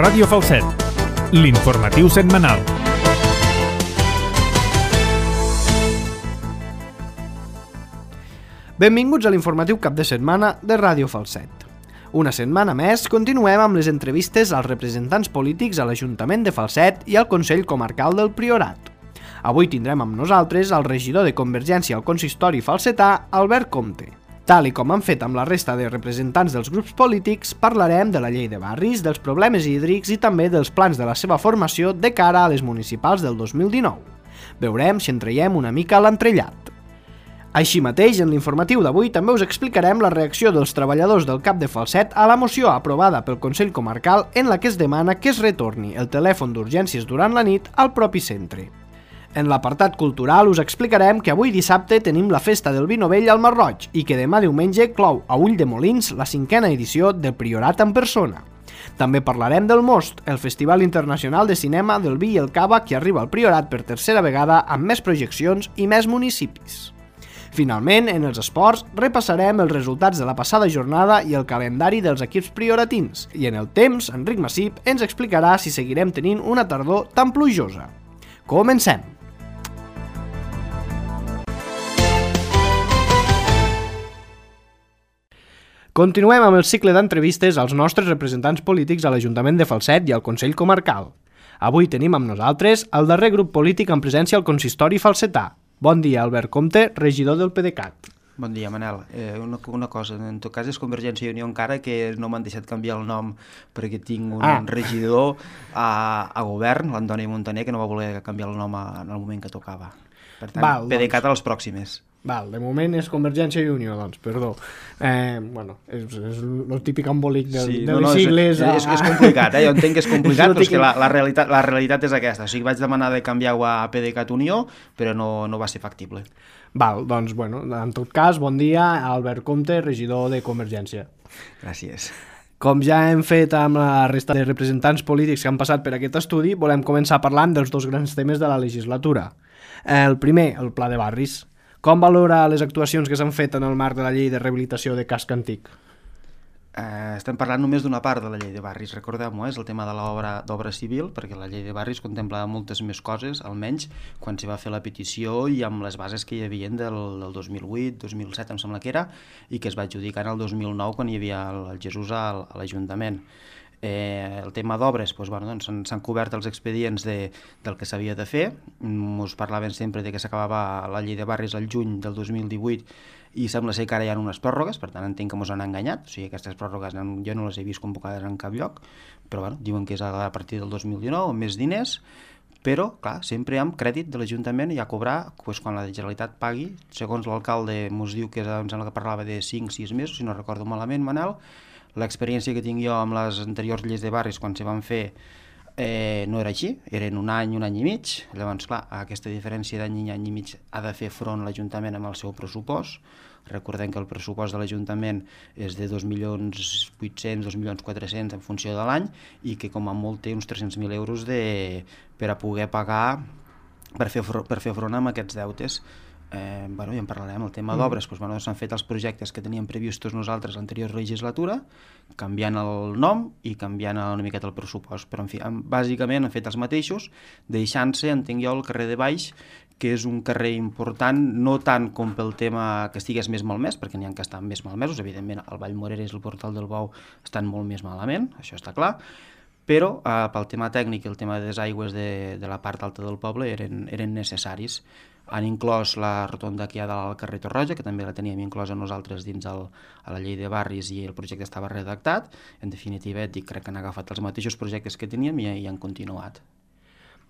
Ràdio Falset, l'informatiu setmanal. Benvinguts a l'informatiu cap de setmana de Ràdio Falset. Una setmana més continuem amb les entrevistes als representants polítics a l'Ajuntament de Falset i al Consell Comarcal del Priorat. Avui tindrem amb nosaltres el regidor de Convergència al Consistori falsetà, Albert Comte. Tal i com han fet amb la resta de representants dels grups polítics, parlarem de la llei de barris, dels problemes hídrics i també dels plans de la seva formació de cara a les municipals del 2019. Veurem si en traiem una mica l'entrellat. Així mateix, en l'informatiu d'avui també us explicarem la reacció dels treballadors del CAP de Falset a la moció aprovada pel Consell Comarcal en la que es demana que es retorni el telèfon d'urgències durant la nit al propi centre. En l'apartat cultural us explicarem que avui dissabte tenim la festa del vi novell al Marroig i que demà diumenge clou a Ulldemolins la 5a edició del Priorat en persona. També parlarem del Most, el Festival Internacional de Cinema del Vi i el Cava que arriba al Priorat per tercera vegada amb més projeccions i més municipis. Finalment, en els esports, repassarem els resultats de la passada jornada i el calendari dels equips prioratins. I en el temps, Enric Massip ens explicarà si seguirem tenint una tardor tan plujosa. Comencem! Continuem amb el cicle d'entrevistes als nostres representants polítics a l'Ajuntament de Falset i al Consell Comarcal. Avui tenim amb nosaltres el darrer grup polític en presència al consistori falsetà. Bon dia, Albert Comte, regidor del PDeCAT. Bon dia, Manel. Una cosa, en tot cas és Convergència i Unió encara que no m'han deixat canviar el nom perquè tinc un regidor a govern, l'Antoni Montaner, que no va voler canviar el nom en el moment que tocava. Per tant, PDeCAT a les pròximes. Val, de moment és Convergència i Unió, doncs, perdó. És el típic embolic de les sigles. És complicat, jo entenc que és complicat, però és que la realitat és aquesta. O sigui, vaig demanar de canviar-ho a PDeCAT Unió, però no va ser factible. Val, doncs, en tot cas, bon dia, Albert Comte, regidor de Convergència. Gràcies. Com ja hem fet amb la resta de representants polítics que han passat per aquest estudi, volem començar parlant dels dos grans temes de la legislatura. El primer, el pla de barris. Com valora les actuacions que s'han fet en el marc de la llei de rehabilitació de casc antic? Estem parlant només d'una part de la llei de barris, recordem-ho, és el tema de l'obra civil, perquè la llei de barris contempla moltes més coses, almenys quan s'hi va fer la petició i amb les bases que hi havia del 2008, 2007 em sembla que era, i que es va adjudicar en el 2009 quan hi havia el Jesús a l'Ajuntament. El tema d'obres, s'han cobert els expedients del que s'havia de fer. Ens parlaven sempre que s'acabava la llei de barris al juny del 2018 i sembla ser que ara hi ha unes pròrrogues, per tant entenc que ens han enganyat, o sigui, aquestes pròrrogues jo no les he vist convocades en cap lloc, però diuen que és a partir del 2019 amb més diners, però clar, sempre amb crèdit de l'Ajuntament i a cobrar quan la Generalitat pagui. Segons l'alcalde ens diu que em sembla que parlava de 5-6 mesos, si no recordo malament, Manel. L'experiència que tinc jo amb les anteriors lleis de barris quan s'hi van fer no era així, eren un any i mig. Llavors, clar, aquesta diferència d'any i mig ha de fer front l'Ajuntament amb el seu pressupost. Recordem que el pressupost de l'Ajuntament és de 2.800.000, 2.400.000 en funció de l'any i que com a molt té uns 300.000 euros per a poder pagar per fer front amb aquests deutes. Ja en parlarem, el tema d'obres, s'han fet els projectes que teníem previstos nosaltres l'anterior legislatura, canviant el nom i canviant una miqueta el pressupost, però en fi, bàsicament han fet els mateixos, deixant-se, entenc jo, el carrer de Baix, que és un carrer important, no tant com pel tema que estigués més malmès, perquè n'hi ha que estan més malmesos, evidentment el Vall Moreres i el Portal del Bou estan molt més malament, això està clar, però pel tema tècnic i el tema de desaigües de la part alta del poble eren necessaris. Han inclòs la rotonda que hi ha del carrer Torroja, que també la teníem inclosa nosaltres dins a la llei de barris i el projecte estava redactat. En definitiva, crec que han agafat els mateixos projectes que teníem i han continuat.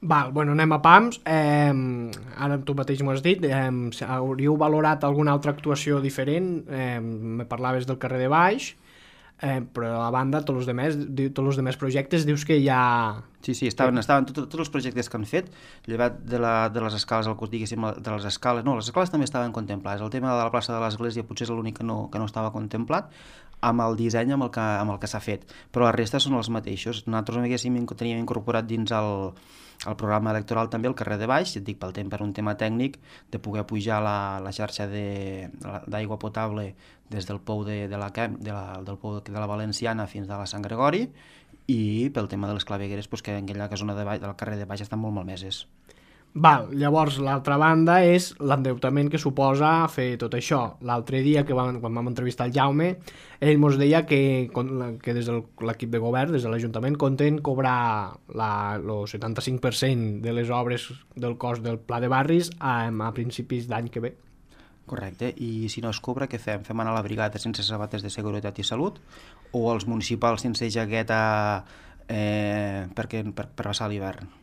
Anem a pams. Ara tu mateix m'ho has dit. Hauríeu valorat alguna altra actuació diferent? Me parlaves del carrer de Baix, però a banda tots els demés projectes dius que hi ha... Sí, estaven tots els projectes que han fet, llevat de les escales, les escales també estaven contemplades. El tema de la plaça de l'Església potser és l'únic que no estava contemplat amb el disseny amb el que s'ha fet, però la resta són els mateixos. Nosaltres teníem incorporat dins el programa electoral també el carrer de Baix, et dic per un tema tècnic, de poder pujar la xarxa d'aigua potable des del pou del pou de la Valenciana fins a la Sant Gregori, i pel tema de les clavegueres, doncs, que en aquella zona del carrer de baix estan molt malmeses. Val, llavors l'altra banda és l'endeutament que suposa fer tot això. L'altre dia, quan vam entrevistar el Jaume, ell mos deia que des de l'equip de govern, des de l'Ajuntament, compten cobrar el 75% de les obres del cost del Pla de Barris a principis d'any que ve. Correcte, i si no es cobra, què fem? Fem anar a la brigada sense sabates de seguretat i salut o els municipals sense jaqueta per passar l'hivern?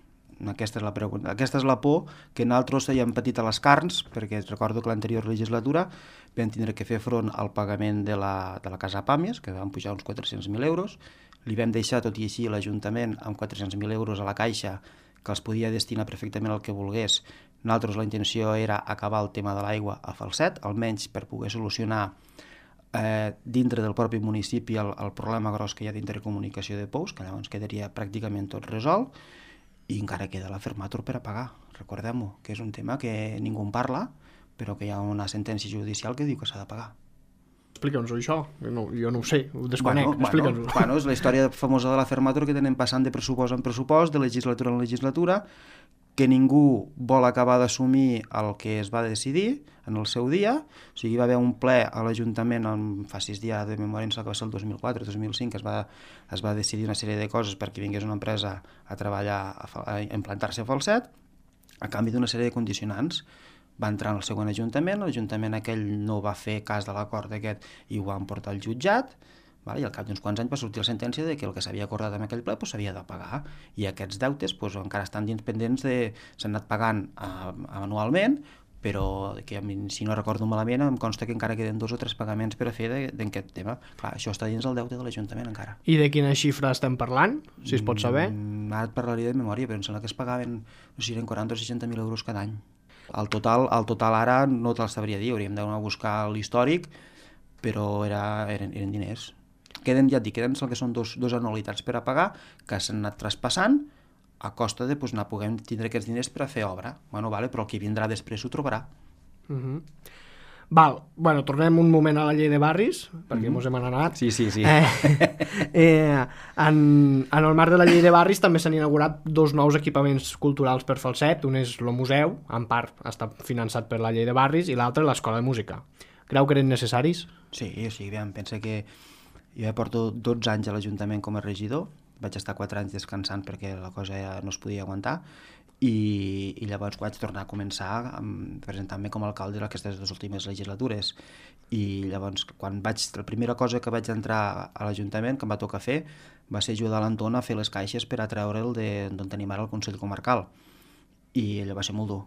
Aquesta és la pregunta. Aquesta és la por que nosaltres hem patit a les carns, perquè recordo que l'anterior legislatura vam tindre que fer front al pagament de la Casa Pàmies, que van pujar uns 400.000 euros, li vam deixar tot i així l'Ajuntament amb 400.000 euros a la caixa, que els podia destinar perfectament al que volgués. Nosaltres la intenció era acabar el tema de l'aigua a Falset, almenys per poder solucionar dintre del propi municipi el problema gros que hi ha d'intercomunicació de pous, que llavors quedaria pràcticament tot resolt, i encara queda la Fermator per a pagar. Recordem-ho, que és un tema que ningú en parla, però que hi ha una sentència judicial que diu que s'ha de pagar. Explica'ns-ho això, jo no ho sé, ho desconec, explica'ns-ho. Bueno, és la història famosa de la Fermator que tenen passant de pressupost en pressupost, de legislatura en legislatura, que ningú vol acabar d'assumir el que es va decidir en el seu dia. O sigui, hi va haver un ple a l'Ajuntament, fa 6 dies de memòria, que va ser el 2004-2005, que es va decidir una sèrie de coses perquè vingués una empresa a treballar, a implantar-se a Falset, a canvi d'una sèrie de condicionants. Va entrar en el següent Ajuntament, l'Ajuntament aquell no va fer cas de l'acord aquest i ho van portar al jutjat, i al cap d'uns quants anys va sortir la sentència de que el que s'havia acordat en aquell ple s'havia de pagar, i aquests deutes encara estan dins pendents s'han anat pagant anualment, però que, si no recordo malament, em consta que encara queden 2 o 3 pagaments per a fer d'aquest tema. Clar, això està dins el deute de l'Ajuntament encara. I de quina xifra estem parlant, si es pot saber? Ara et parlaria de memòria, però em sembla que es pagaven, no sé si eren 40 o 60.000 euros cada any. El total ara no te'l sabria dir, hauríem d'anar a buscar l'històric, però eren diners. Queden el que són dos anualitats per a pagar, que s'han anat traspassant a costa de anar podent tindre aquests diners per a fer obra. Però el que vindrà després ho trobarà. Tornem un moment a la llei de barris, perquè mos hem anat. Sí. En el marc de la llei de barris també s'han inaugurat 2 nous equipaments culturals per Falset. Un és el museu, en part està finançat per la llei de barris, i l'altre l'escola de música. Creu que eren necessaris? Sí, pensa que jo ja porto 12 anys a l'Ajuntament com a regidor, vaig estar 4 anys descansant perquè la cosa ja no es podia aguantar, i llavors vaig tornar a començar presentant-me com a alcalde d'aquestes 2 últimes legislatures. I llavors, la primera cosa que vaig entrar a l'Ajuntament, que em va tocar fer, va ser ajudar l'Anton a fer les caixes per a treure'l d'on tenim ara el Consell Comarcal. I allò va ser molt dur.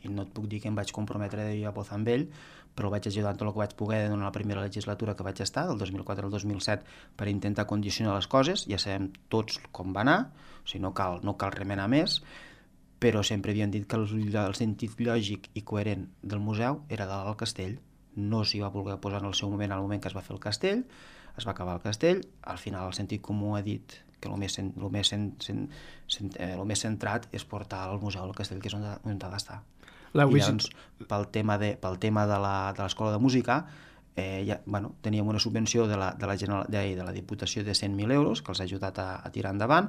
I no et puc dir que em vaig comprometre de a posar amb ell, però el vaig ajudar en tot el que vaig poder durant la primera legislatura que vaig estar, del 2004 al 2007, per intentar condicionar les coses. Ja sabem tots com va anar, o sigui, no cal remenar més, però sempre havien dit que el sentit lògic i coherent del museu era dalt al castell. No s'hi va voler posar en el seu moment, al moment que es va fer el castell, es va acabar el castell, al final el sentit comú ha dit que el més centrat és portar el museu al castell, que és on ha d'estar. I llavors, pel tema de l'escola de música, teníem una subvenció de la Diputació de 100.000 euros que els ha ajudat a tirar endavant.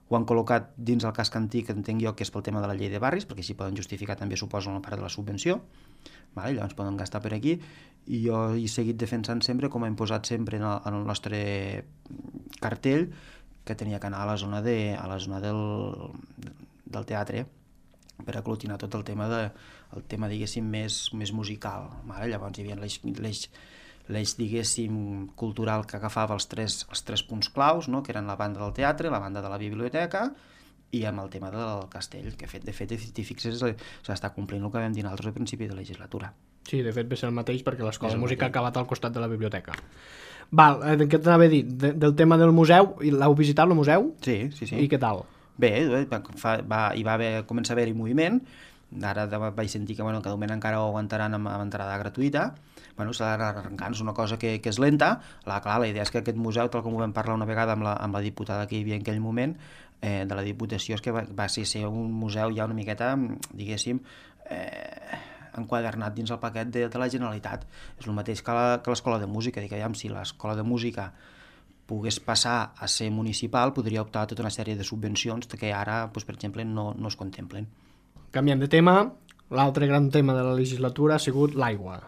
Ho han col·locat dins el casc antic, que entenc jo que és pel tema de la llei de barris, perquè així poden justificar també, suposo, una part de la subvenció. Llavors poden gastar per aquí, i jo he seguit defensant sempre, com hem posat sempre en el nostre cartell, que tenia que anar a la zona del teatre, per aglutinar tot el tema diguéssim, més musical. Llavors hi havia l'eix, diguéssim, cultural que agafava els tres punts claus, no? Que eren la banda del teatre, la banda de la biblioteca i amb el tema del castell, que de fet, si t'hi fixes, s'està complint el que vam dir nosaltres al principi de la legislatura. Sí, de fet, va ser el mateix, perquè l'escola de música ha acabat al costat de la biblioteca. Què t'anava a dir? Del tema del museu, l'heu visitat, el museu? Sí. I què tal? Bé, hi va començar a haver-hi moviment. Ara vaig sentir que de moment encara ho aguantaran amb entrada gratuïta. S'ha d'anar arrencant, és una cosa que és lenta. Clar, la idea és que aquest museu, tal com ho vam parlar una vegada amb la diputada que hi havia en aquell moment, de la Diputació, és que va ser un museu ja una miqueta, diguéssim, enquadernat dins el paquet de la Generalitat. És el mateix que l'escola de música. Dic, si l'escola de música pogués passar a ser municipal, podria optar a tota una sèrie de subvencions que ara, per exemple, no es contemplen. Canviem de tema. L'altre gran tema de la legislatura ha sigut l'aigua.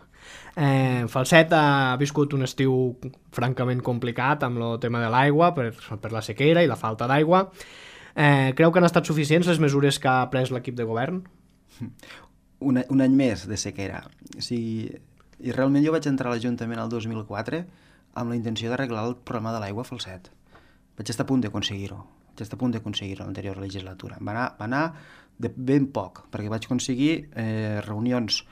Falset ha viscut un estiu francament complicat amb el tema de l'aigua per la sequera i la falta d'aigua. Creu que han estat suficients les mesures que ha pres l'equip de govern? Un any més de sequera. O sigui, i realment jo vaig entrar a l'Ajuntament el 2004 amb la intenció d'arreglar el problema de l'aigua a Falset. Vaig estar a punt d'aconseguir-ho. L'anterior legislatura. Va anar de ben poc, perquè vaig aconseguir reunions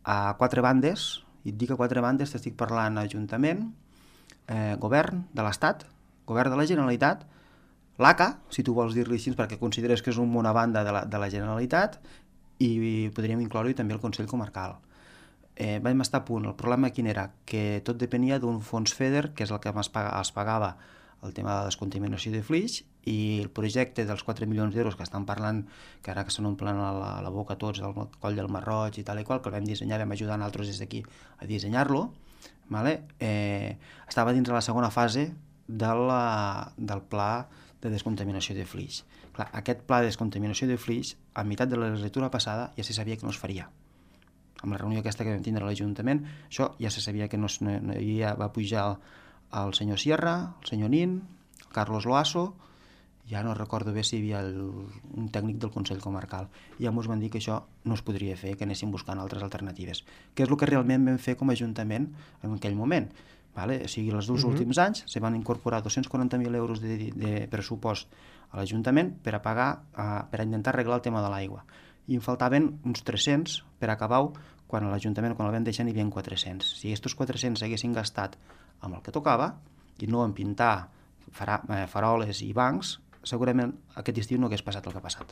a 4 bandes, i et dic a 4 bandes, t'estic parlant Ajuntament, Govern de l'Estat, Govern de la Generalitat, l'ACA, si tu vols dir-li així, perquè consideres que és una banda de la Generalitat, i podríem incloure-hi també el Consell Comarcal. Vam estar a punt. El problema quin era? Que tot depenia d'un fons FEDER, que és el que es pagava el tema de la descontaminació de flix, i el projecte dels 4 milions d'euros que estan parlant, que ara que se n'omplen a la boca tots del coll del Mar Roig i tal i qual, que el vam dissenyar, vam ajudar nosaltres des d'aquí a dissenyar-lo, estava dins de la segona fase del pla de descontaminació de flix. Clar, aquest pla de descontaminació de flix, a meitat de la legislatura passada, ja se sabia que no es faria. Amb la reunió aquesta que vam tindre a l'Ajuntament, això ja se sabia que no va pujar el senyor Sierra, el senyor Nin, el Carlos Loasso, ja no recordo bé si hi havia un tècnic del Consell Comarcal, i ja ens van dir que això no es podria fer, que anéssim buscant altres alternatives, que és el que realment vam fer com a Ajuntament en aquell moment. O sigui, els 2 últims anys se van incorporar 240.000 euros de pressupost a l'Ajuntament per a intentar arreglar el tema de l'aigua, i em faltaven uns 300 per acabar-ho, quan a l'Ajuntament, quan el vam deixar, n'hi havia 400. Si aquests 400 s'haguessin gastat amb el que tocava i no en pintar faroles i bancs, segurament aquest estiu no hagués passat el que ha passat.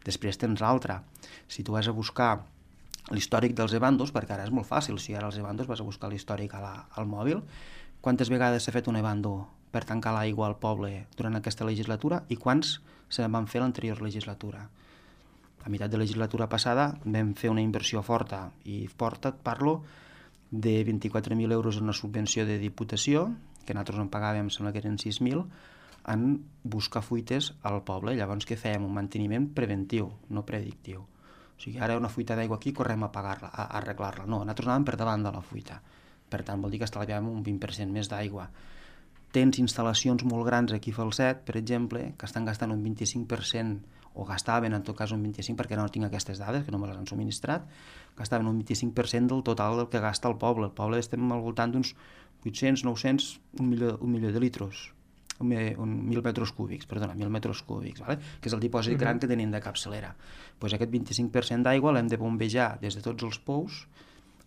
Després tens l'altre. Si tu vas a buscar l'històric dels ebandos, perquè ara és molt fàcil, si ara els ebandos vas a buscar l'històric al mòbil, quantes vegades s'ha fet un ebando per tancar l'aigua al poble durant aquesta legislatura i quants se van fer l'anterior legislatura? A meitat de la legislatura passada vam fer una inversió forta, i forta et parlo de 24.000 euros en una subvenció de Diputació, que nosaltres en pagàvem, sembla que eren 6.000, en buscar fuites al poble. Llavors què fèiem? Un manteniment preventiu, no predictiu. O sigui, ara hi ha una fuita d'aigua aquí, correm a pagar-la, a arreglar-la. No, nosaltres anàvem per davant de la fuita. Per tant, vol dir que estalviàvem un 20% més d'aigua. Tens instal·lacions molt grans aquí a Falset, per exemple, que estan gastant un 25%, o gastaven en tot cas un 25%, perquè no tinc aquestes dades, que no me les han subministrat, gastaven un 25% del total del que gasta el poble. El poble estem al voltant d'uns 800, 900, un milió de litros, 1.000 metres cúbics, vale? Que és el dipòsit gran que tenim de capçalera. Pues aquest 25% d'aigua l'hem de bombejar des de tots els pous,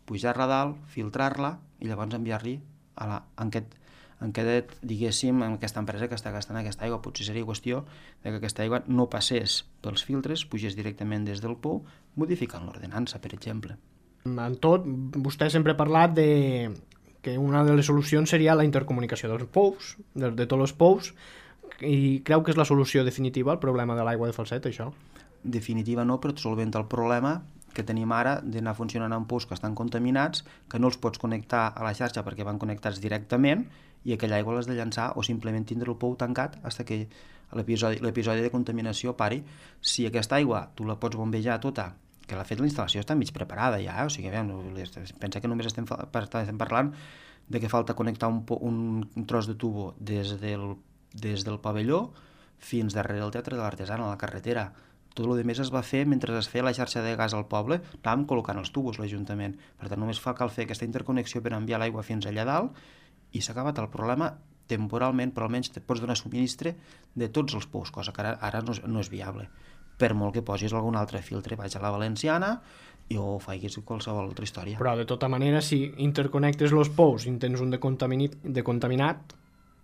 pujar-la a dalt, filtrar-la i llavors enviar-li en diguéssim, en aquesta empresa que està gastant aquesta aigua. Potser seria qüestió que aquesta aigua no passés pels filtres, pugés directament des del pou, modificant l'ordenança, per exemple. En tot, vostè sempre ha parlat que una de les solucions seria la intercomunicació dels pous, de tots els pous, i creu que és la solució definitiva al problema de l'aigua de Falset, això? Definitiva no, però et solventa el problema que tenim ara d'anar funcionant amb pous que estan contaminats, que no els pots connectar a la xarxa perquè van connectats directament, i aquella aigua l'has de llançar o simplement tindre el pou tancat fins que l'episodi de contaminació pari. Si aquesta aigua tu la pots bombejar tota, que de fet la instal·lació està mig preparada ja, o sigui, pensa que només estem parlant de que falta connectar un tros de tubo des del pavelló fins darrere el Teatre de l'Artesana, a la carretera. Tot el que es va fer mentre es feia la xarxa de gas al poble, anàvem col·locant els tubos l'Ajuntament. Per tant, només cal fer aquesta interconnexió per enviar l'aigua fins allà dalt i s'ha acabat el problema temporalment, però almenys te pots donar subministre de tots els pous, cosa que ara no és viable. Per molt que posis algun altre filtre, vaig a la Valenciana o faiguis qualsevol altra història. Però de tota manera, si interconnectes els pous i tens un de contaminat,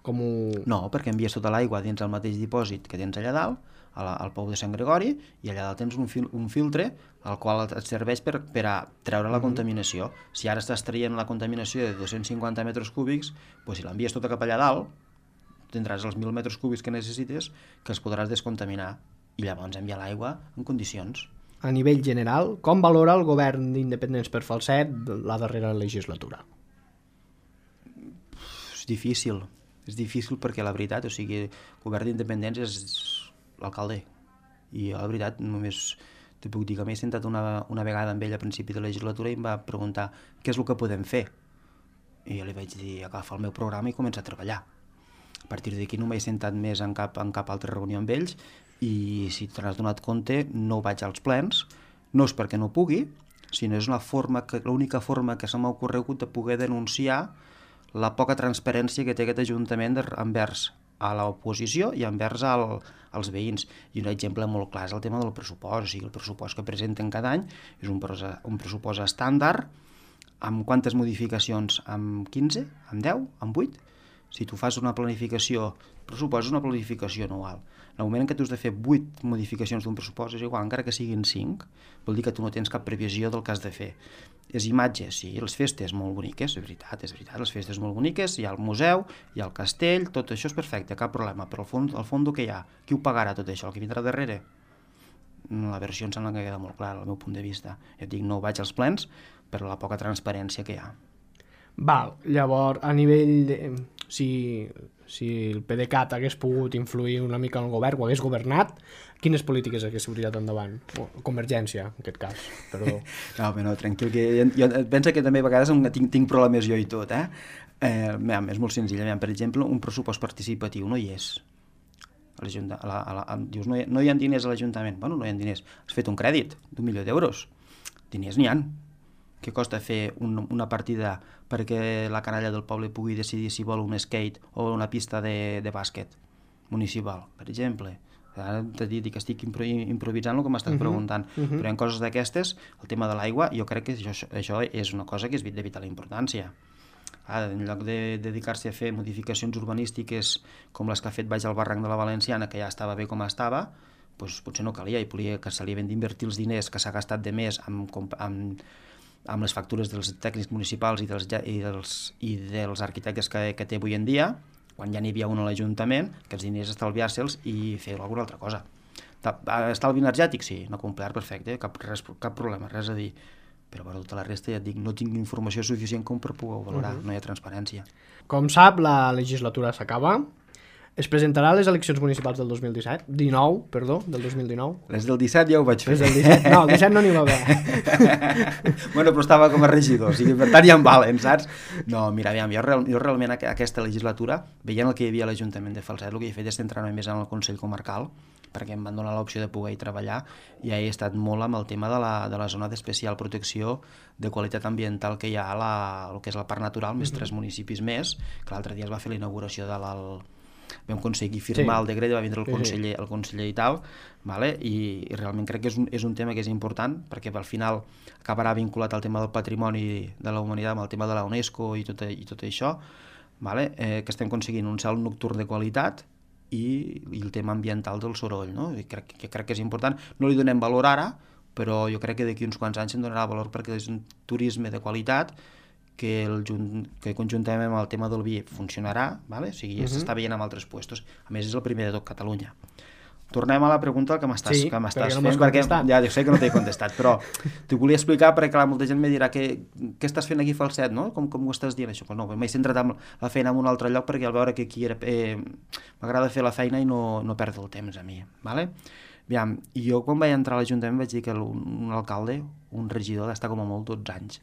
com ho... No, perquè envies tota l'aigua dins el mateix dipòsit que tens allà dalt, al pou de Sant Gregori, i allà dalt tens un filtre al qual et serveix per a treure la contaminació. Si ara estàs traient la contaminació de 250 metres cúbics, doncs si l'envies tota cap allà dalt, tindràs els 1.000 metres cúbics que necessites, que els podràs descontaminar, i llavors enviar l'aigua en condicions. A nivell general, com valora el govern d'Independents per Falset la darrera legislatura? És difícil. És difícil perquè la veritat, o sigui, el govern d'independents és l'alcalde. I jo, la veritat, només te puc dir que m'he sentat una vegada amb ell a principi de la legislatura i em va preguntar què és el que podem fer. I jo li vaig dir, agafa el meu programa i comença a treballar. A partir d'aquí no m'he sentat més en cap altra reunió amb ells i si te n'has donat compte no vaig als plens, no és perquè no pugui, sinó és l'única forma que se m'ha ocorregut de poder denunciar la poca transparència que té aquest Ajuntament envers a l'oposició i envers als veïns. I un exemple molt clar és el tema del pressupost, o sigui, el pressupost que presenten cada any és un pressupost estàndard, amb quantes modificacions? Amb 15? Amb 10? Amb 8? Si tu fas una planificació, pressupost és una planificació anual. En el moment en què tu has de fer 8 modificacions d'un pressupost, és igual, encara que siguin 5, vol dir que tu no tens cap previsió del que has de fer. És imatge, sí, les festes molt boniques, és veritat, les festes molt boniques, hi ha el museu, hi ha el castell, tot això és perfecte, cap problema, però al fons què hi ha? Qui ho pagarà tot això? El que vindrà darrere? La versió em sembla que queda molt clara, al meu punt de vista. Ja et dic, no vaig als plens per la poca transparència que hi ha. Val, llavors, a nivell de... Si el PDeCAT hagués pogut influir una mica en el govern o hagués governat, quines polítiques hagués tirat endavant? O Convergència, en aquest cas, perdó. No, tranquil, que jo penso que també a vegades tinc problemes jo i tot, és molt senzill. Per exemple, un pressupost participatiu no hi és. Dius, no hi ha diners a l'Ajuntament. Bueno, no hi ha diners. Has fet un crèdit d'1 milió d'euros. Diners n'hi ha. Què costa fer una partida perquè la canalla del poble pugui decidir si vol un skate o una pista de bàsquet municipal, per exemple? Ara t'he dit que estic improvisant el que m'estàs preguntant, però hi ha coses d'aquestes, el tema de l'aigua, jo crec que això és una cosa que és de vital importància. En lloc de dedicar-se a fer modificacions urbanístiques com les que ha fet baix al barranc de la Valenciana, que ja estava bé com estava, doncs potser no calia, i que se li havien d'invertir els diners que s'ha gastat de més amb les factures dels tècnics municipals i dels arquitectes que té avui en dia, quan ja n'hi havia un a l'Ajuntament, aquests diners estalviar-se'ls i fer alguna altra cosa. Estalvi energètic? Sí, no complert, perfecte, cap problema, res a dir. Però per tota la resta, ja et dic, no tinc informació suficient com per poder valorar, no hi ha transparència. Com sap, la legislatura s'acaba. Es presentarà a les eleccions municipals del 2019? Del 2019. Les del 17 ja ho vaig fer. Les del 17? No, el 17 no n'hi va haver. Bueno, però estava com a regidor, o sigui, per tant ja em valen, saps? No, mira, aviam, jo realment aquesta legislatura, veient el que hi havia a l'Ajuntament de Falset, el que he fet és centrar-me més en el Consell Comarcal, perquè em van donar l'opció de poder-hi treballar, i he estat molt amb el tema de la zona d'especial protecció de qualitat ambiental que hi ha a el que és la parc natural, més 3 municipis més, que l'altre dia es va fer la inauguració de vam aconseguir firmar el decret, va vindre el conseller i tal, i realment crec que és un tema que és important, perquè al final acabarà vinculat al tema del patrimoni de la humanitat, amb el tema de la UNESCO i tot això, que estem aconseguint un cel nocturn de qualitat i el tema ambiental del soroll, no? Crec que és important. No li donem valor ara, però jo crec que d'aquí uns quants anys se'n donarà valor perquè és un turisme de qualitat que conjuntament amb el tema del vi funcionarà, o sigui, s'està veient en altres puestos. A més, és el primer de tot Catalunya. Tornem a la pregunta que m'estàs fent, perquè ja sé que no t'he contestat, però t'ho volia explicar perquè clar, molta gent me dirà què estàs fent aquí a Falset, no? Com ho estàs dient això? Pues no, m'he centrat en la feina en un altre lloc perquè al veure que aquí m'agrada fer la feina i no perdre el temps a mi, ¿vale? Aviam, jo quan vaig entrar a l'Ajuntament vaig dir que un alcalde, un regidor, ha d'estar com a molt 12 anys.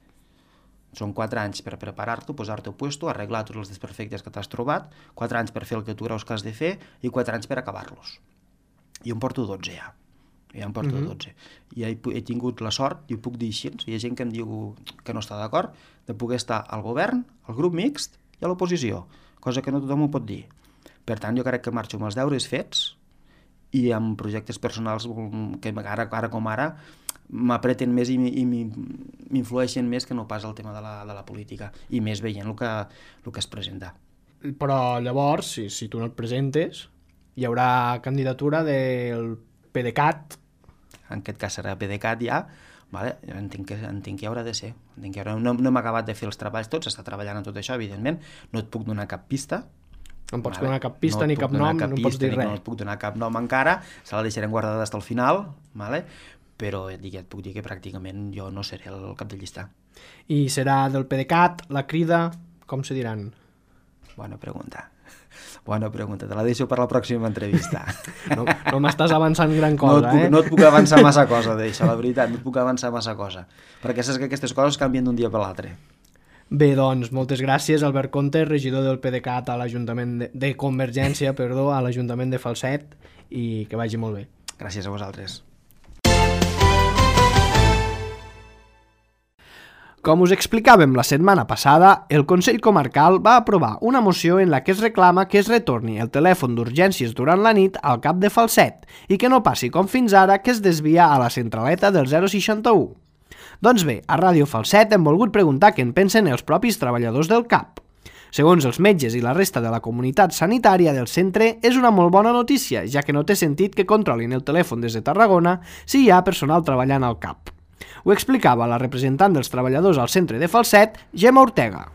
Són 4 anys per preparar-t'ho, posar-te a puesto, arreglar tots els desperfectes que t'has trobat, 4 anys per fer el que tu creus que has de fer i 4 anys per acabar-los. Jo em porto 12 ja. I he tingut la sort, i ho puc dir així, hi ha gent que em diu que no està d'acord, de poder estar al govern, al grup mixt i a l'oposició, cosa que no tothom ho pot dir. Per tant, jo crec que marxo amb els deures fets i amb projectes personals que ara com ara m'apreten més i m'influeixen més que no pas el tema de la política, i més veient el que es presenta. Però llavors, si tu no et presentes, hi haurà candidatura del PDeCAT. En aquest cas serà PDeCAT ja, entenc que hi haurà de ser. No hem acabat de fer els treballs tots, s'està treballant en tot això, evidentment, no et puc donar cap pista. No em pots donar cap pista ni cap nom, no em pots dir res. No et puc donar cap nom encara, se la deixarem guardada fins al final, però et puc dir que pràcticament jo no seré el cap de llista. I serà del PDeCAT, la Crida, com se diran? Bona pregunta. Bona pregunta, te la deixo per la pròxima entrevista. No m'estàs avançant gran cosa, No et puc avançar massa cosa d'això, la veritat, no et puc avançar massa cosa, perquè saps que aquestes coses canvien d'un dia per l'altre. Bé, doncs, moltes gràcies, Albert Conte, regidor del PDeCAT a l'Ajuntament de Convergència, a l'Ajuntament de Falset, i que vagi molt bé. Gràcies a vosaltres. Com us explicàvem la setmana passada, el Consell Comarcal va aprovar una moció en la que es reclama que es retorni el telèfon d'urgències durant la nit al CAP de Falset i que no passi com fins ara, que es desvia a la centraleta del 061. Doncs bé, a Ràdio Falset hem volgut preguntar què en pensen els propis treballadors del CAP. Segons els metges i la resta de la comunitat sanitària del centre, és una molt bona notícia, ja que no té sentit que controlin el telèfon des de Tarragona si hi ha personal treballant al CAP. Ho explicava la representant dels treballadors al centre de Falset, Gemma Ortega.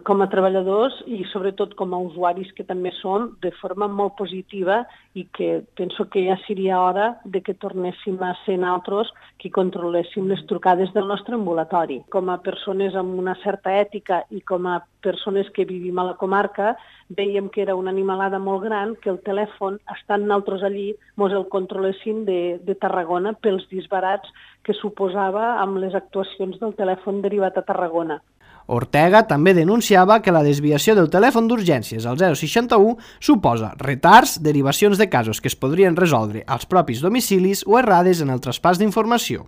Com a treballadors i sobretot com a usuaris que també són, de forma molt positiva, i que penso que ja seria hora de que tornéssim a ser nosaltres qui controléssim les trucades del nostre ambulatori. Com a persones amb una certa ètica i com a persones que vivim a la comarca, veiem que era una animalada molt gran que el telèfon, estant nosaltres allí, mos el controlessin de Tarragona pels disbarats que suposava amb les actuacions del telèfon derivat a Tarragona. Ortega també denunciava que la desviació del telèfon d'urgències al 061 suposa retards, derivacions de casos que es podrien resoldre als propis domicilis o errades en el traspàs d'informació.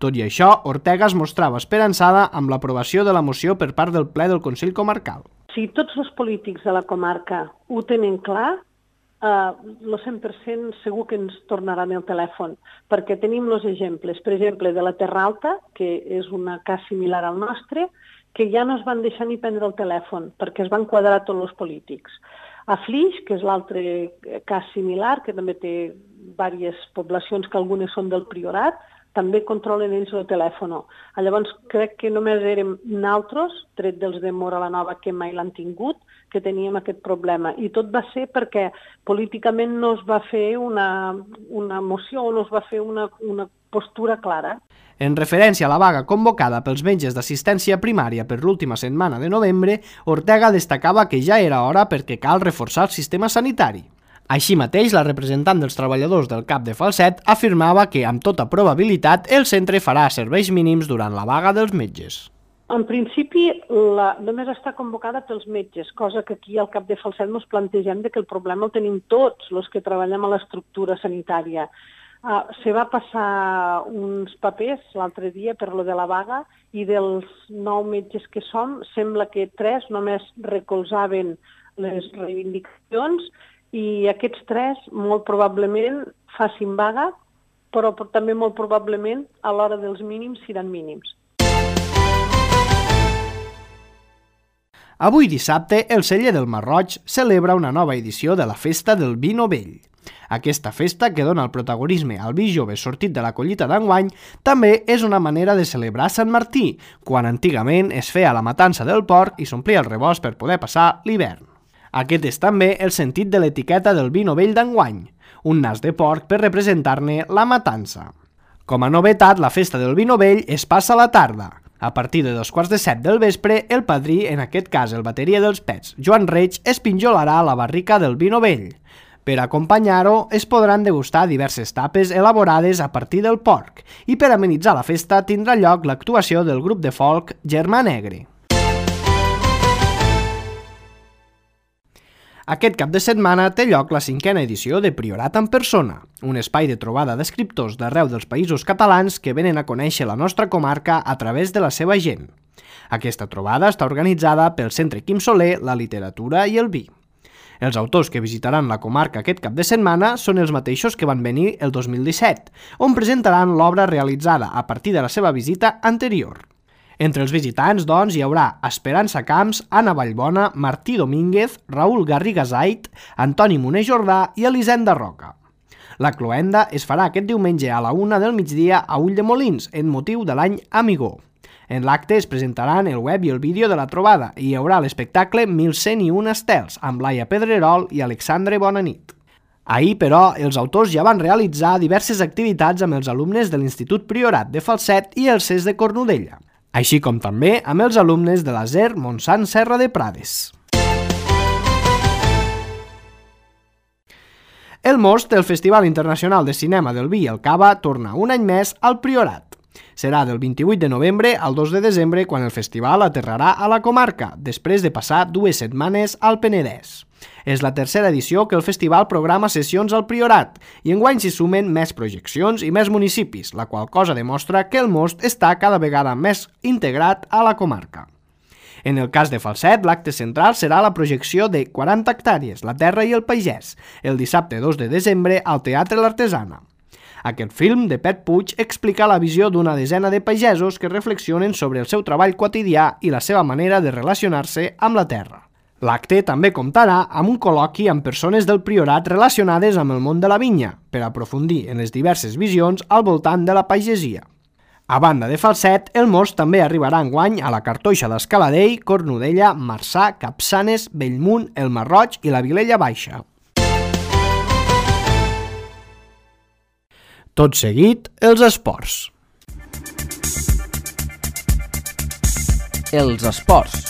Tot i això, Ortega es mostrava esperançada amb l'aprovació de la moció per part del ple del Consell Comarcal. Si tots els polítics de la comarca ho tenen clar, el 100% segur que ens tornaran el telèfon, perquè tenim els exemples, per exemple, de la Terra Alta, que és una cas similar al nostre, que ja no es van deixar ni prendre el telèfon, perquè es van quadrar tots els polítics. A Flix, que és l'altre cas similar, que també té diverses poblacions que algunes són del Priorat, també controlen ells el telèfon. Llavors, crec que només érem nosaltres, tret dels de Móra la Nova, que mai l'han tingut, que teníem aquest problema. I tot va ser perquè políticament no es va fer una moció o no es va fer una postura clara. En referència a la vaga convocada pels metges d'assistència primària per l'última setmana de novembre, Ortega destacava que ja era hora perquè cal reforçar el sistema sanitari. Així mateix, la representant dels treballadors del CAP de Falset afirmava que, amb tota probabilitat, el centre farà serveis mínims durant la vaga dels metges. En principi, només està convocada pels metges, cosa que aquí al CAP de Falset ens plantegem que el problema el tenim tots els que treballem a l'estructura sanitària. Se va passar uns papers l'altre dia per lo de la vaga i dels 9 metges que som, sembla que 3 només recolzaven les reivindicacions i aquests 3 molt probablement facin vaga, però també molt probablement a l'hora dels mínims seran mínims. Avui dissabte, el Celler del Masroig celebra una nova edició de la Festa del Vi Novell. Aquesta festa, que dona el protagonisme al vi jove sortit de la collita d'enguany, també és una manera de celebrar Sant Martí, quan antigament es feia la matança del porc i s'omplia el rebost per poder passar l'hivern. Aquest és també el sentit de l'etiqueta del vi novell d'enguany, un nas de porc per representar-ne la matança. Com a novetat, la festa del vi novell es passa a la tarda. A partir de 6:45 del vespre, el padrí, en aquest cas el bateria dels Pets, Joan Reig, es pinjolarà a la barrica del vi novell. Per acompanyar-ho, es podran degustar diverses tapes elaborades a partir del porc i per amenitzar la festa tindrà lloc l'actuació del grup de folk Germà Negre. Aquest cap de setmana té lloc la 5a edició de Priorat en Persona, un espai de trobada d'escriptors d'arreu dels països catalans que venen a conèixer la nostra comarca a través de la seva gent. Aquesta trobada està organitzada pel Centre Quim Soler, la literatura i el vi. Els autors que visitaran la comarca aquest cap de setmana són els mateixos que van venir el 2017, on presentaran l'obra realitzada a partir de la seva visita anterior. Entre els visitants, doncs, hi haurà Esperança Camps, Anna Vallbona, Martí Domínguez, Raül Garrigasait, Antoni Moner Jordà i Elisenda Roca. La cloenda es farà aquest diumenge a la 1 del migdia a Ulldemolins, en motiu de l'any Amigó. En l'acte es presentaran el web i el vídeo de la trobada i hi haurà l'espectacle 1101 estels, amb Laia Pedrerol i Alexandre Bonanit. Ahir, però, els autors ja van realitzar diverses activitats amb els alumnes de l'Institut Priorat de Falset i el CES de Cornudella, així com també amb els alumnes de la SER Montsant Serra de Prades. El most del Festival Internacional de Cinema del Vi i el Cava torna un any més al Priorat. Serà del 28 de novembre al 2 de desembre quan el festival aterrarà a la comarca, després de passar 2 setmanes al Penedès. És la tercera edició que el festival programa sessions al Priorat i enguany s'hi sumen més projeccions i més municipis, la qual cosa demostra que el most està cada vegada més integrat a la comarca. En el cas de Falset, l'acte central serà la projecció de 40 hectàrees, la terra i el pagès, el dissabte 2 de desembre al Teatre L'Artesana. Aquest film de Pet Puig explica la visió d'una desena de pagesos que reflexionen sobre el seu treball quotidià i la seva manera de relacionar-se amb la terra. L'acte també comptarà amb un col·loqui amb persones del Priorat relacionades amb el món de la vinya, per aprofundir en les diverses visions al voltant de la pagesia. A banda de Falset, el most també arribarà enguany a la Cartoixa d'Escaladell, Cornudella, Marçà, Capçanes, Bellmunt, el Marroig i la Vilella Baixa. Tot seguit, els esports. Els esports.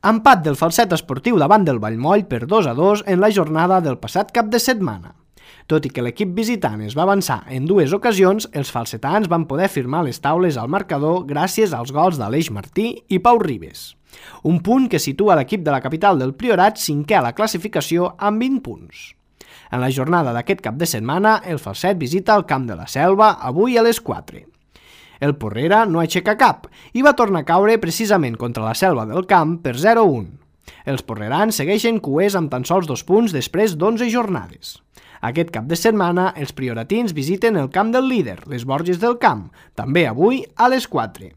Empat del Falset esportiu davant del Vallmoll per 2-2 en la jornada del passat cap de setmana. Tot i que l'equip visitant es va avançar en 2 ocasions, els falsetans van poder firmar les taules al marcador gràcies als gols d'Aleix Martí i Pau Ribes. Un punt que situa l'equip de la capital del Priorat cinquè a la classificació amb 20 punts. En la jornada d'aquest cap de setmana, el Falset visita el Camp de la Selva avui a les 4. El Porrera no aixeca cap i va tornar a caure precisament contra la Selva del Camp per 0-1. Els porrerans segueixen cuers amb tan sols 2 punts després d'11 jornades. Aquest cap de setmana, els prioratins visiten el camp del líder, les Borges del Camp, també avui a les 4.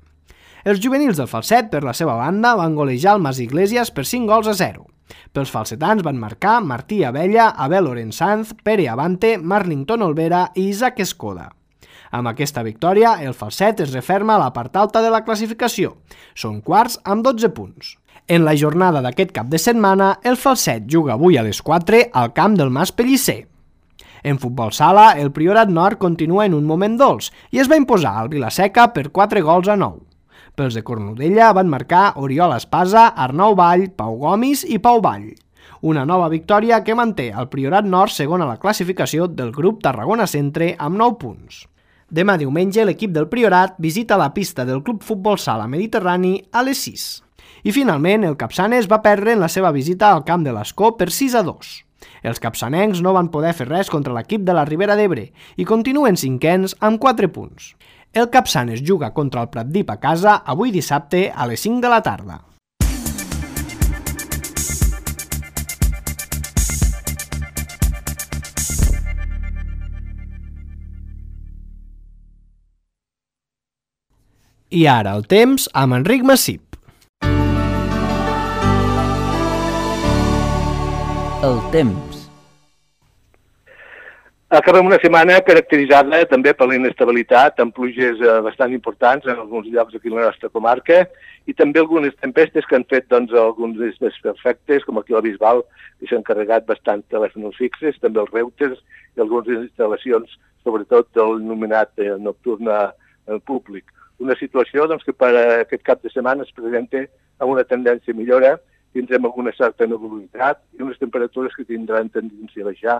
Els juvenils del Falset, per la seva banda, van golejar el Mas Iglesias per 5-0. Pels falsetans van marcar Martí Abella, Abel Orensanz, Pere Avante, Marlington Olvera i Isaac Escoda. Amb aquesta victòria, el Falset es referma a la part alta de la classificació. Són quarts amb 12 punts. En la jornada d'aquest cap de setmana, el Falset juga avui a les 4 al camp del Mas Pellicer. En futbol sala, el Priorat Nord continua en un moment dolç i es va imposar al Vilaseca per 4-9. Pels de Cornudella van marcar Oriol Espasa, Arnau Vall, Pau Gomis i Pau Vall. Una nova victòria que manté el Priorat Nord segon a la classificació del grup Tarragona Centre amb 9 punts. Demà diumenge l'equip del Priorat visita la pista del Club Futbol Sala Mediterrani a les 6. I finalment el Capçanes va perdre en la seva visita al camp de l'Escó per 6-2. Els capçanencs no van poder fer res contra l'equip de la Ribera d'Ebre i continuen cinquens amb 4 punts. El Capçanes juga contra el Pratdip a casa avui dissabte a les 5 de la tarda. I ara el temps amb Enric Massip. El temps. Acabem una setmana caracteritzada també per la inestabilitat, amb pluges bastant importants en alguns llocs aquí a la nostra comarca i també algunes tempestes que han fet alguns desperfectes, com aquí a la Bisbal, que s'han carregat bastants telèfons fixes, també els routers i algunes instal·lacions, sobretot del il·luminat nocturn públic. Una situació que per aquest cap de setmana es presenta amb una tendència a millora, tindrem alguna certa nebulitat i unes temperatures que tindran tendència a baixar,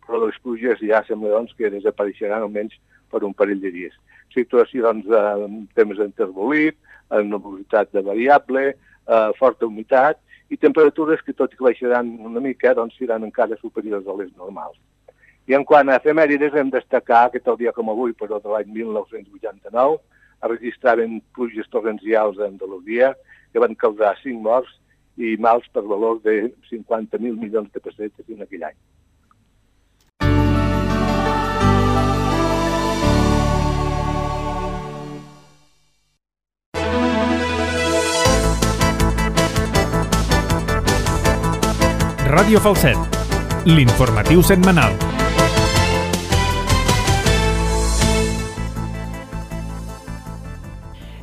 però les pluges ja sembla que desapareixeran almenys per un parell de dies. Situació en temps enterbolit, amb nebulitat de variable, forta humitat i temperatures que tot i que baixaran una mica seran encara superiors a les normals. I en quant a efemèrides hem de destacar que tal dia com avui, però de l'any 1989, es registraven pluges torrencials a Andalusia que van causar 5 morts i mals per valor de 50.000 milions de pessetes en aquell any. Ràdio Falset, l'informatiu setmanal.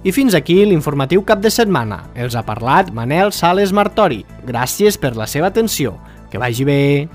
I fins aquí l'informatiu cap de setmana. Els ha parlat Manel Sales Martori. Gràcies per la seva atenció. Que vagi bé.